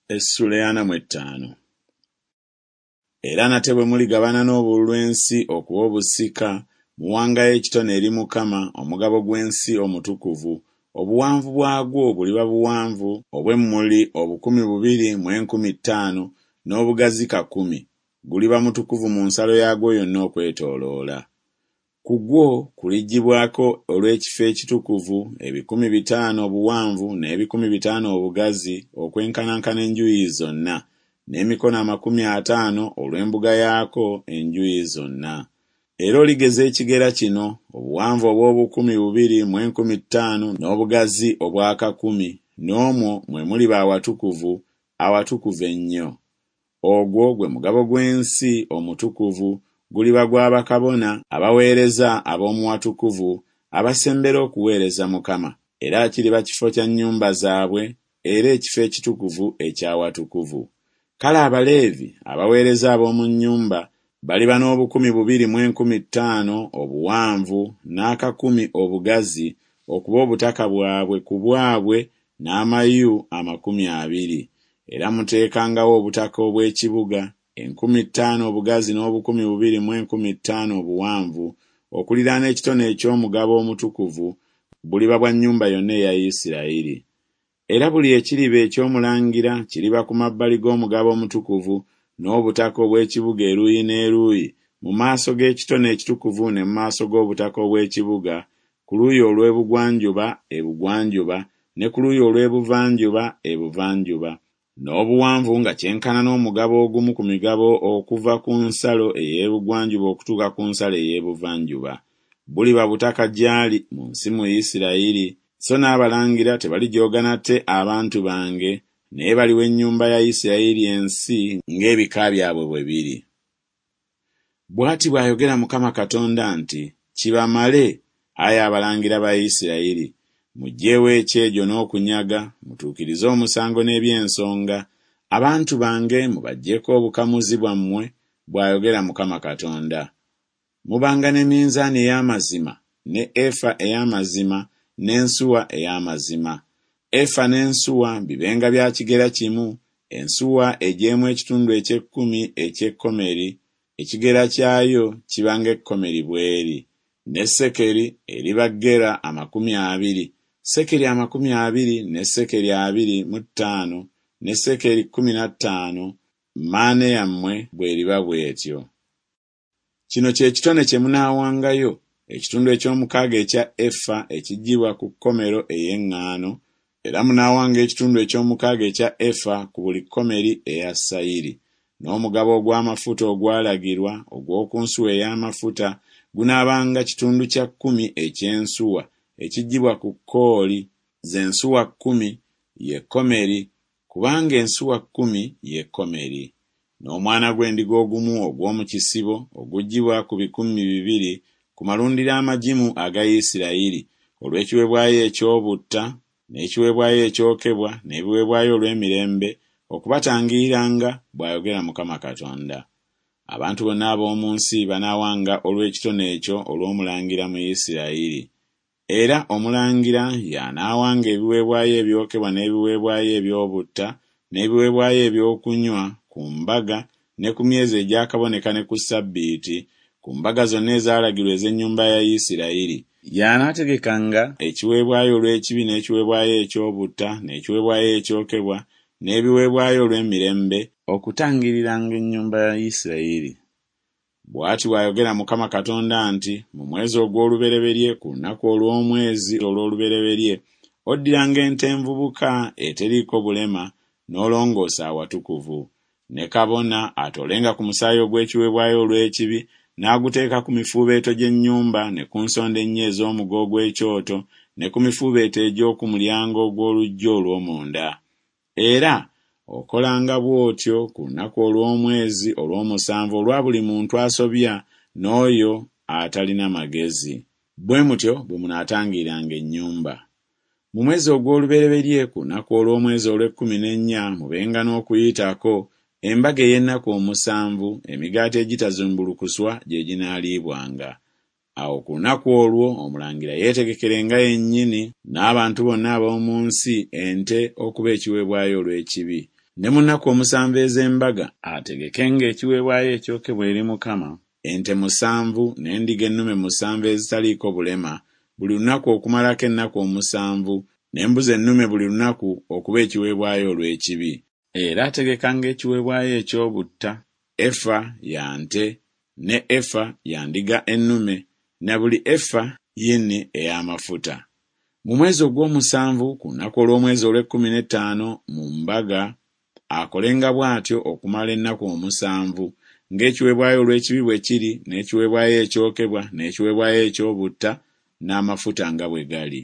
Essula ey'ana mu etaano. Era nate bwe muligabana n'obululu ensi okuba obusika, muwangayo ekitone eri Mukama omugabo gw'ensi omutukuvu, obuwanvu bwagwo buliba buwanvu obw'emmuli 2500, n'obugazi kakumi, guliba mutukuvu mu nsalo yaagwo yonna okwetooloola. Ku gwo kuliggyibwako olw'ekifo ekitukuvu ebikumi 500 obuwanvu n'ebikumi 500 obugazi okwenkanankana enjuuyi zonna, n'emikono 50 olw'embuga yaako enjuuyi zonna. Era oligeza ekigera kino, obuwanvu obw'obukumi bubiri mu enkumi ttaano n'obugazi obw'akakumi, n'omwo mwe muliba awatukuvu, awatukuvu ennyo. Ogwo gwe mugabo gw'ensi omutukuvu, guliba gwa bakabona abaweereza ab'omu watukuvu abasembera okuweereza Mukama, era kiriba kifo kya nnyumba zaabwe, era ekifo ekitukuvu eky'awatukuvu. Kale Abaleevi abaweereza ab'omu nnyumba baliba n'obukumi bubiri mu enkumi ttaano obuwanvu n'akakumi obugazi okuba obutaka bwabwe ku bwabwe n'amayu 20. Era muteekangawo obutaka obw'ekibuga, 5,000 obugazi n'obukumi bubiri mu enkumi ttaano obuwanvu, okuliraana ekitone eky'omugabo omutukuvu, buliba bwa nnyumba yonna eya Isiraeri. Era buli ekiriba eky'omulangira kiriba ku mabbali g'omugabo omutukuvu n'obutaka obw'ekibuga eruuyi n'eruuyi mu maaso g'ekitone ekitukuvu ne mu maaso g'obutaka obw'ekibuga, ku luuyi olw'ebugwanjuba ebugwanjuba ne ku luuyi olw'ebuvanjuba ebuvanjuba, n'obuwanvu nga kyenkana n'omugabo ogumu ku migabo okuva ku nsalo ey'ebugwanjuba okutuuka ku nsalo ey'ebuvanjuba. Buliba butaka gy'ali mu nsi mu Isiraeri, so n'abalangira tebalijooga nate abantu bange, naye baliwa ennyumba ya Isiraeri ensi ng'ebika byabwe bwe biri. Bw'ati bw'ayogera Mukama Katonda nti Kibamale, ai abalangira ba Isiraeri, muggyeewo ekyejo n'okunyaga, mutuukirize omusango n'eby'ensonga, abantu bange mubaggyeko obukamuzi bwammwe, bw'ayogera Mukama Katonda. Mubanga ne minzaani ey'amazima ne efa ey'amazima n'ensuwa ey'amazima. Efa n'ensuwa bibenga bya kigera kimu, ensuwa egyemu ekitundu eky'ekkumi eky'ekomeri, ekigera kyayo kiba ng'ekomeri bw'eri. Ne sekeri eriba gera 20, sekeri 20 ne sekeri 25 ne sekeri 15, maane yammwe bw'eriba bw'etyo. Kino kye kitone kye munaawangayo, ekitundu eky'omukaaga ekya efa ekiggyibwa ku komero ey'eŋŋaano, era munaawanga ekitundu eky'omukaaga ekya efa ku buli komeri eya sayiri. N'omugabo ogw'amafuta ogwalagirwa ogw'oku nsuwa ey'amafuta gunaabanga kitundu kya kkumi eky'ensuwa ekiggyibwa ku kooli, ze nsuwa kkumi, ye komeri, kubanga ensuwa kkumi ye komeri. N'omwana gw'endiga ogumu ogw'omu kisibo oguggyibwa ku 2,000 ku malundiro amagimu aga Isirayiri, olw'ekiweebwayo eky'obutta, n'ekiweebwayo ekyokebwa, n'ebiweebwayo olw'emirembe, okubatangiriranga, bw'ayogera Mukama Katonda. Abantu bonna ab'omu nsi banaawanga olw'ekitone ekyo olw'omulangira mu Isirayiri. Era omulangira y'anaawanga ebiweebwayo ebyokebwa n'ebiweebwayo eby'obutta n'ebiweebwayo ebyokunywa ku mbaga ne ku myezi egyakaboneka ne ku ssabbiiti, ku mbaga zonna ezaalagirwa ez'ennyumba ya Isirayiri. Y'anaategekanga ekiweebwayo olw'ekibi n'ekiweebwayo eky'obutta n'ekiweebwayo ekyokebwa n'ebiweebwayo olw'emirembe, okutangiriranga ennyumba ya Isirayiri. Bw'ati bw'ayogera Mukama Katonda nti Mu mwezi ogw'olubereberye ku lunaku olw'omwezi olw'olubereberye oddiranga ente envubuka eteriiko bulema n'olongoosa awatukuvu. Ne kabona atoolenga ku musaayi ogw'ekiweebwayo olw'ekibi n'aguteeka ku mifuubeeto gy'ennyumba ne ku nsonda ennya ez'omugo ogw'ekyoto ne ku mifuubeeto egy'oku mulyango ogw'oluggya olw'omunda. Era okolanga bw'otyo ku lunaku olw'omwezi olw'omusanvu olwa buli muntu asobya n'oyo atalina magezi. Bwe mutyo bwe munaatangiriranga ennyumba. Mu mwezi ogw'olubereberye ku lunaku olw'omwezi olw'ekkumi n'ennya mubenga n'Okuyitako, embaga ey'ennaku omusanvu, emigaati egitazimbulukuswa gye ginaaliibwanga. Awo ku lunaku olwo omulangira yeetegekerenga yennyini n'abantu bonna ab'omu nsi ente okuba ekiweebwayo olw'ekibi. Ne mu nnaku omusanvu ez'embaga ategekenga ekiweebwayo ekyokebwa eri Mukama, ente musanvu n'endiga ennume musanvu ezitaliiko bulema, buli lunaku okumalako ennaku omusanvu, n'embuzi ennume buli lunaku okuba ekiweebwayo olw'ekibi. Era ategekanga ekiweebwayo eky'obutta, efa ya nte, ne efa ya ndiga ennume, na buli efa yini ey'amafuta. Mu mwezi ogw'omusanvu, ku lunaku olw'omwezi olw'ekkumi n'ettaano, mu mbaga, akolenga bw'atyo okumala ennaku omusanvu, ng'ekiweebwayo olw'ekibi bwe kiri, n'ekiweebwayo ekyokebwa, n'ekiweebwayo eky'obutta, n'amafuta nga bwe gali.